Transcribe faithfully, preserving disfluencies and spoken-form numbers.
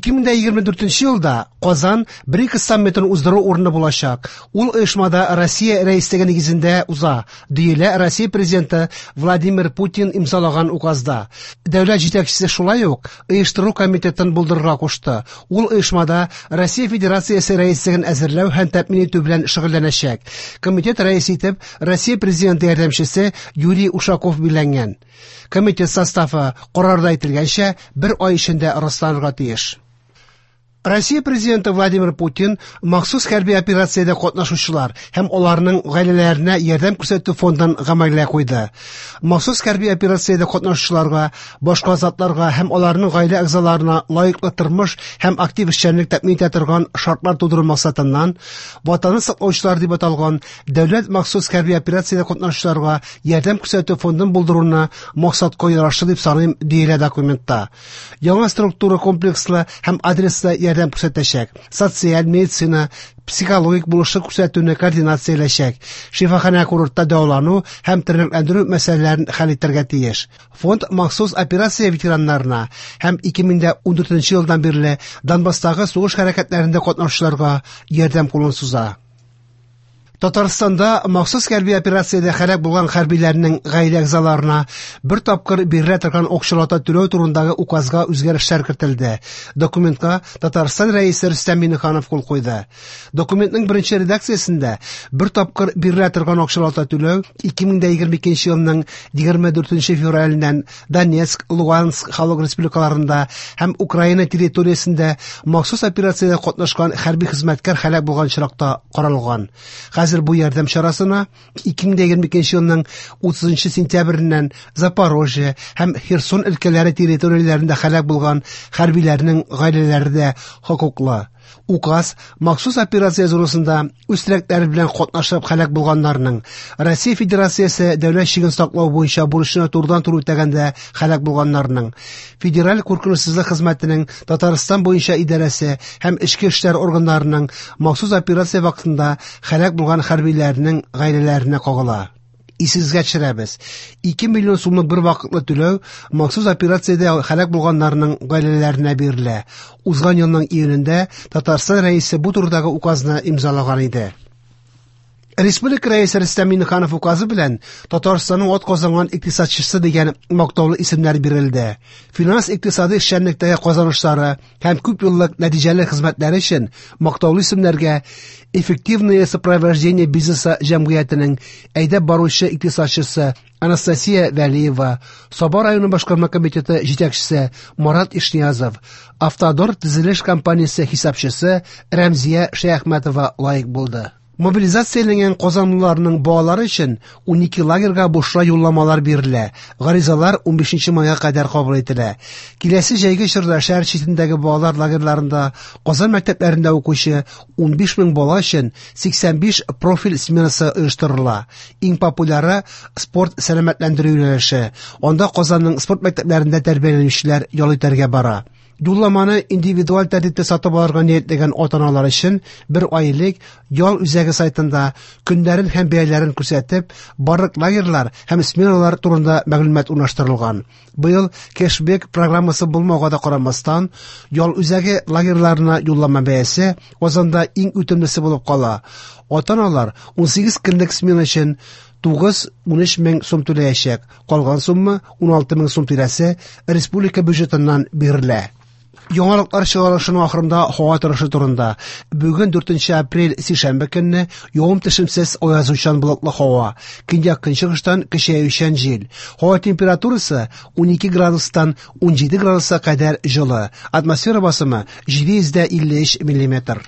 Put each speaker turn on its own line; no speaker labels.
ике мең егерме дүртенче елда Казан БРИКС саммитын уздыру урыны булачак. Ул оешмада Россия рәислеге нигезендә уза, диелә Россия президенты Владимир Путин имзалаган указда. Дәүләт җитәкчесе шулай ук оештыру комитетын булдырырга кушты. Ул оешмада Россия Федерациясе рәислеген әзерләү һәм тәэмин итү белән шөгыльләнәчәк. Комитет рәисе итеп Россия президенты ярдәмчесе Юрий Ушаков билгеләнгән. Комитет составы карарда әйтелгәнчә бер ай эчендә расланырга тиеш. Россия президенты Владимир Путин махсус хәрби операциядә катнашучылар һәм аларның гаиләләренә ярдәм күрсәтү фондын гамәлгә куйды. Махсус хәрби операциядә катнашучыларга, башка затларга һәм аларның гаилә әгъзаларына лаеклы тормыш һәм актив эшчәнлек тәэмин итә торган шартлар тудыру максатыннан Ватанны саклаучылар дип аталган дәүләт махсус хәрби операциядә катнашучыларга ярдәм күрсәтү фондын булдыруны максатка ярашлы дип саныйм, диелә документта. Яңа структура комплекслы һәм адреслы ярдәм күрсәтәчәк. Социаль, медицина, психологик булышлык күрсәтүне координацияләчәк. Шифаханә курортта дәвалану һәм тернәкләндерү мәсьәләләрен хәл итәргә тиеш. Фонд махсус операция ветераннарына һәм ике мең ундүртенче елдан бирле Донбасстагы сугыш хәрәкәтләрендә катнашучыларга ярдәм кулын суза. Татарстанда махсус хәрби операциядә һәлак булган хәрбиләрнең гаилә әгъзаларына бер тапкыр бирелә торган акчалата түләү турындагы указга үзгәрешләр кертелде. Документка Татарстан рәисе Рөстәм Миңнеханов кул куйды. Документның беренче редакциясендә бер тапкыр бирелә торган акчалата түләү ике мең егерме икенче елның егерме дүртенче февраленнән Донецк, Луганск халык республикаларында һәм Украина территориясендә махсус операциядә катнашкан хәрби хезмәткәр һәлак булган очракта каралган. Хәзер бу ярдәм чарасына ике мең егерме икенче елның утызынчы сентябреннән Запорожье һәм Херсон өлкәләре территорияләрендә һәлак булган хәрбиләрнең гаиләләре дә хокуклы. Указ махсус операция зонасында үз теләкләре белән катнашып һәлак булганнарның, Россия Федерациясе дәүләт чиген саклау буенча бурычны турыдан-туры үтәгәндә һәлак булганнарның, Федераль куркынычсызлык хезмәтенең Татарстан буенча идарәсе һәм эчке эшләр органнарының махсус операция вакытында һәлак булган хәрбиләрнең гаиләләренә кагыла. Исегезгә төшерәбез. ике миллион сумлык бер вакытлы түләү махсус операциядә һәлак булганнарның гаиләләренә бирелә. Узган елның июнендә Татарстан рәисе бу турыдагы указны имзалаган иде. Республика рәисе Рөстәм Миңнеханов указы белән Татарстанның атказанган икътисадчысы дигән мактаулы исемнәр бирелде. Финанс икътисади эшчәнлектәге казанышлары һәм күп еллык нәтиҗәле хезмәтләре өчен мактаулы исемнәргә Эффективное сопровождение бизнеса җәмгыятенең әйдәп баручы икътисадчысы Анастасия Вәлиева, Саба районы башкарма комитеты җитәкчесе Марат Ишниязов, Автодор төзелеш компаниясе хисапчысы Рәмзия Шәяхмәтова лаек булды. Мобилизацияләнгән казанлыларның балалары өчен унике лагерьга бушлай юлламалар бирелә. Гаризалар унбишенче майга кадәр кабул ителә. Киләсе җәйге чорда шәһәр читендәге балалар лагерьларында Казан мәктәпләрендә укучы унбиш мең бала өчен сиксән биш профиль сменасы оештырыла. Иң популяры спорт сәламәтләндерү юнәлеше. Анда Казанның спорт мәктәпләрендә тәрбияләнүчеләр ял итәргә бара. Юлламаны индивидуаль тәртиптә сатып алырга ниятләгән ата-аналар өчен бер ай элек ял үзәге сайтында көннәрен һәм бәяләрен күрсәтеп, барлык лагерьлар һәм сменалар турында мәгълүмат урнаштырылган. Быел кэшбэк программасы булмауга да карамастан, ял үзәге лагерьларына юллама бәясе Казанда иң үтемлесе булып кала. Ата-аналар унсигез көнлек смена өчен тугыз унөч мең сум түләячәк. Калган сумма уналты мең сум тирәсе республика бюджетыннан бирелә. Яңалыклар чыгарылышының ахырында һава торышы турында. Бүген дүртенче апрель сишәмбе көнне явым төшемсез аязучан болытлы һава. Көньяк көнчыгыштан көчәючән җил. Һава температурасы унике градустан унҗиде градуска кадәр җылы. Атмосфера басымы җиде йөз дә илле өч миллиметр.